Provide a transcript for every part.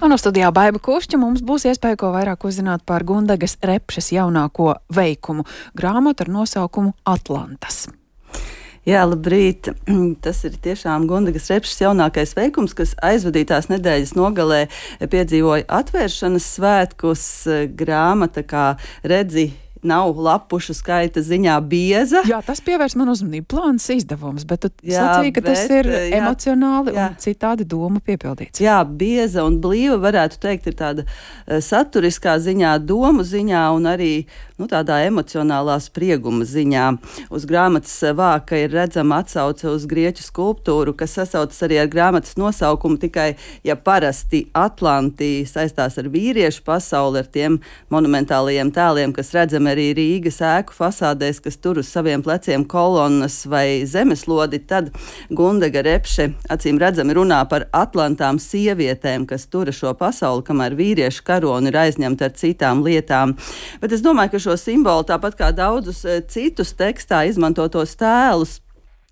Un no studijā Baiba Kušķa mums būs iespēja ko vairāk uzzināt par Gundegas Repšes jaunāko veikumu grāmatu ar nosaukumu Atlantas. Jā, labrīt. Tas ir tiešām Gundegas Repšes jaunākais veikums, kas aizvadītās nedēļas nogalē piedzīvoja atvēršanas svētkus. Grāmata, kā redzi, nav lapušu skaita ziņā bieza. Jā, tas pievērs man uzmanību. Plāns izdevums, bet tu sacīji, ka tas ir emocionāli un citādi doma piepildīts. Jā, bieza un blīva, varētu teikt, ir tāda saturiskā ziņā, domu ziņā un arī tādā emocionālā sprieguma ziņā. Uz grāmatas vāka ir redzama atsauce uz grieķu skulptūru, kas sasaucas arī ar grāmatas nosaukumu, tikai, ja parasti Atlanti saistās ar vīriešu pasauli, ar tiem monumentālajiem tēliem, kas redzami arī Rīgas ēku fasādēs, kas tur uz saviem pleciem kolonnas vai zemeslodi, tad Gundega Repše acīm redzami runā par Atlantām sievietēm, kas tura šo pasauli, kamēr vīriešu karoni ir aizņemta ar citām lietām. Bet es domāju, ka šo simbolu, tāpat kā daudzus citus tekstā izmantotos tēlus,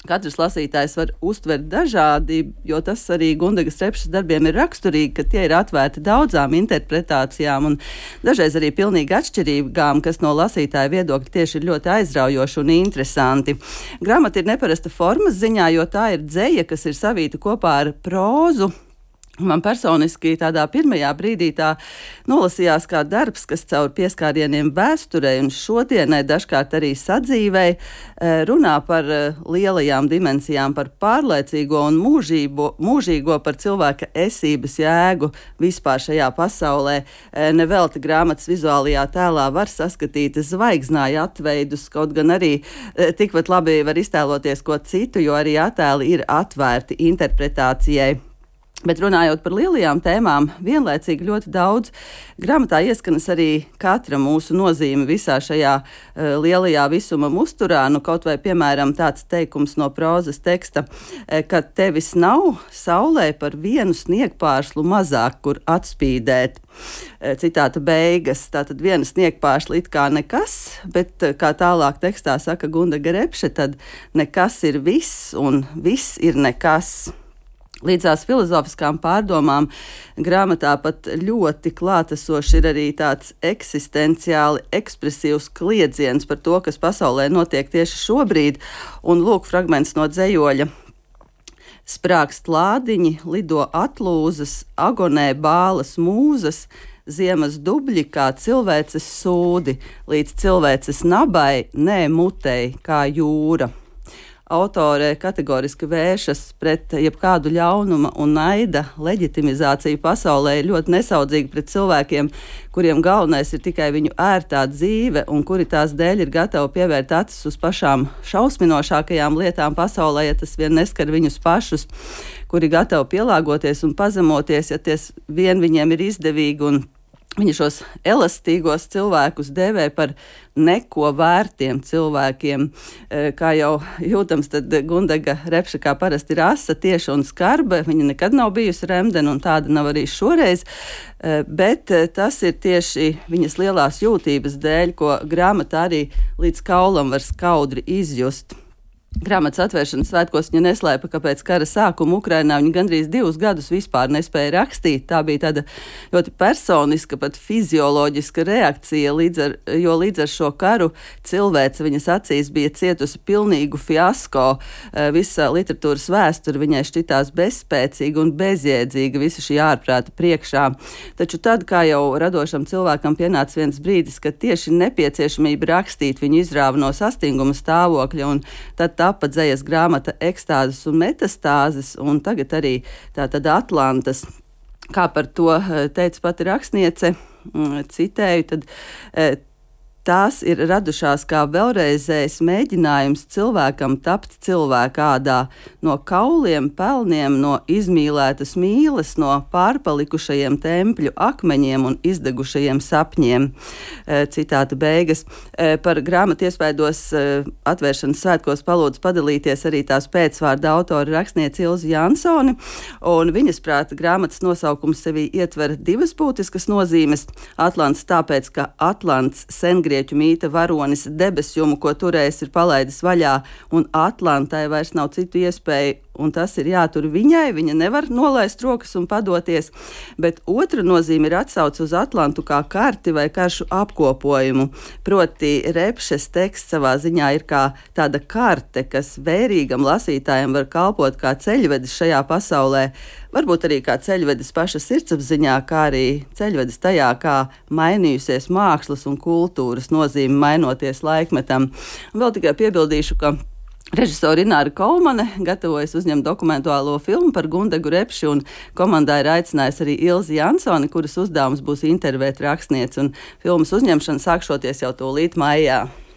katrs lasītājs var uztvert dažādi, jo tas arī Gundegas Repšes darbiem ir raksturīgi, ka tie ir atvērti daudzām interpretācijām un dažreiz arī pilnīgi atšķirīgām, kas no lasītāja viedokļa tieši ir ļoti aizraujoši un interesanti. Grāmata ir neparasta formas ziņā, jo tā ir dzeja, kas ir savīta kopā ar prózu. Man personiski tādā pirmajā brīdī tā nolasījās kā darbs, kas caur pieskārieniem vēsturei un šodienai, dažkārt arī sadzīvei, runā par lielajām dimensijām, par pārlaicīgo un mūžīgo, par cilvēka esības jēgu vispār šajā pasaulē. Nevelti grāmatas vizuālajā tēlā var saskatīt zvaigznāju atveidus, kaut gan arī tikpat labi var iztēloties ko citu, jo arī attēli ir atvērti interpretācijai. Bet runājot par lielajām tēmām, vienlaicīgi ļoti daudz grāmatā ieskanas arī katra mūsu nozīme visā šajā lielajā visuma musturā. Kaut vai, piemēram, tāds teikums no prózas teksta, ka tevis nav saulē par vienu sniegpāršlu mazāk, kur atspīdēt. Citāta beigas. Tātad viena sniegpāršļa it kā nekas, bet, kā tālāk tekstā saka Gundega Repše, tad nekas ir viss un viss ir nekas. Līdzās filozofiskām pārdomām grāmatā pat ļoti klātesoši ir arī tāds eksistenciāli ekspresīvs kliedziens par to, kas pasaulē notiek tieši šobrīd. Un lūk fragments no dzejoļa. Sprākst lādiņi, lido atlūzas, agonē bālas mūzas, ziemas dubļi kā cilvēces sūdi, līdz cilvēces nabai, nē mutei kā jūra. Autore kategoriski vēršas pret jebkādu ļaunuma un naida leģitimizāciju pasaulē, ir ļoti nesaudzīgi pret cilvēkiem, kuriem galvenais ir tikai viņu ērtā dzīve un kuri tās dēļ ir gatavi pievērt acis uz pašām šausminošākajām lietām pasaulē, ja tas vien neskar viņus pašus, kuri gatavi pielāgoties un pazemoties, ja ties vien viņiem ir izdevīgi, un viņi šos elastīgos cilvēkus dēvē par neko vērtiem cilvēkiem. Kā jau jūtams, tad Gundega Repše kā parasti ir asa, tieša un skarba. Viņa nekad nav bijusi remdena un tāda nav arī šoreiz. Bet tas ir tieši viņas lielās jūtības dēļ, ko grāmatā arī līdz kaulam var skaudri izjust. Grāmatas atvēršanas svētkos viņa neslēpa, ka pēc kara sākuma Ukrainā viņa gandrīz 2 gadus vispār nespēja rakstīt. Tā bija tāda ļoti personiska, pat fizioloģiska reakcija, jo līdz ar šo karu cilvēce viņas acīs bija cietusi pilnīgu fiasko. Visa literatūras vēsture viņai šķitās bezspēcīga un bezjēdzīga visa šī ārprāta priekšā. Taču tad, kā jau radošam cilvēkam pienāca viens brīdis, kad tieši nepieciešamība rakstīt viņu izrāva no sastinguma stāvokļa, un tad tapa dzejas grāmata Ekstāzes un metastāzes, un tagad arī tātad Atlantas. Kā par to teica pati rakstniece, citēju, tad tās ir radušās kā vēlreizējs mēģinājums cilvēkam tapt cilvēkādā, no kauliem, pelniem, no izmīlētas mīles, no pārpalikušajiem tempļu akmeņiem un izdegušajiem sapņiem. Citāta beigas. Par grāmatu iespaidos atvēršanas svētkos palūdzu padalīties arī tās pēcvārda autora rakstniece Ilze Jansone, un viņas prāta grāmatas nosaukums sevī ietver 2 būtiskas nozīmes. Atlants tāpēc, ka Atlants sengrieķu mīta varonis debesjumu, ko turējis, ir palaidis vaļā, un Atlantai vairs nav citu iespēju un tas ir jātur viņai. Viņa nevar nolaist rokas un padoties, bet otra nozīme ir atsauce uz Atlantu kā karti vai karšu apkopojumu. Proti, Repšes teksts savā ziņā ir kā tāda karte, kas vērīgam lasītājam var kalpot kā ceļvedis šajā pasaulē, varbūt arī kā ceļvedis paša sirdsapziņā, kā arī ceļvedis tajā, kā mainījusies mākslas un kultūras nozīme mainoties laikmetam. Un vēl tikai piebildīšu, ka režisore Ināra Kolmane gatavojas uzņemt dokumentālo filmu par Gundegu Repši, un komandā ir aicinājusi arī Ilzi Jansoni, kuras uzdevums būs intervēt rakstnieci, un filmas uzņemšana sākšoties jau tūlīt maijā.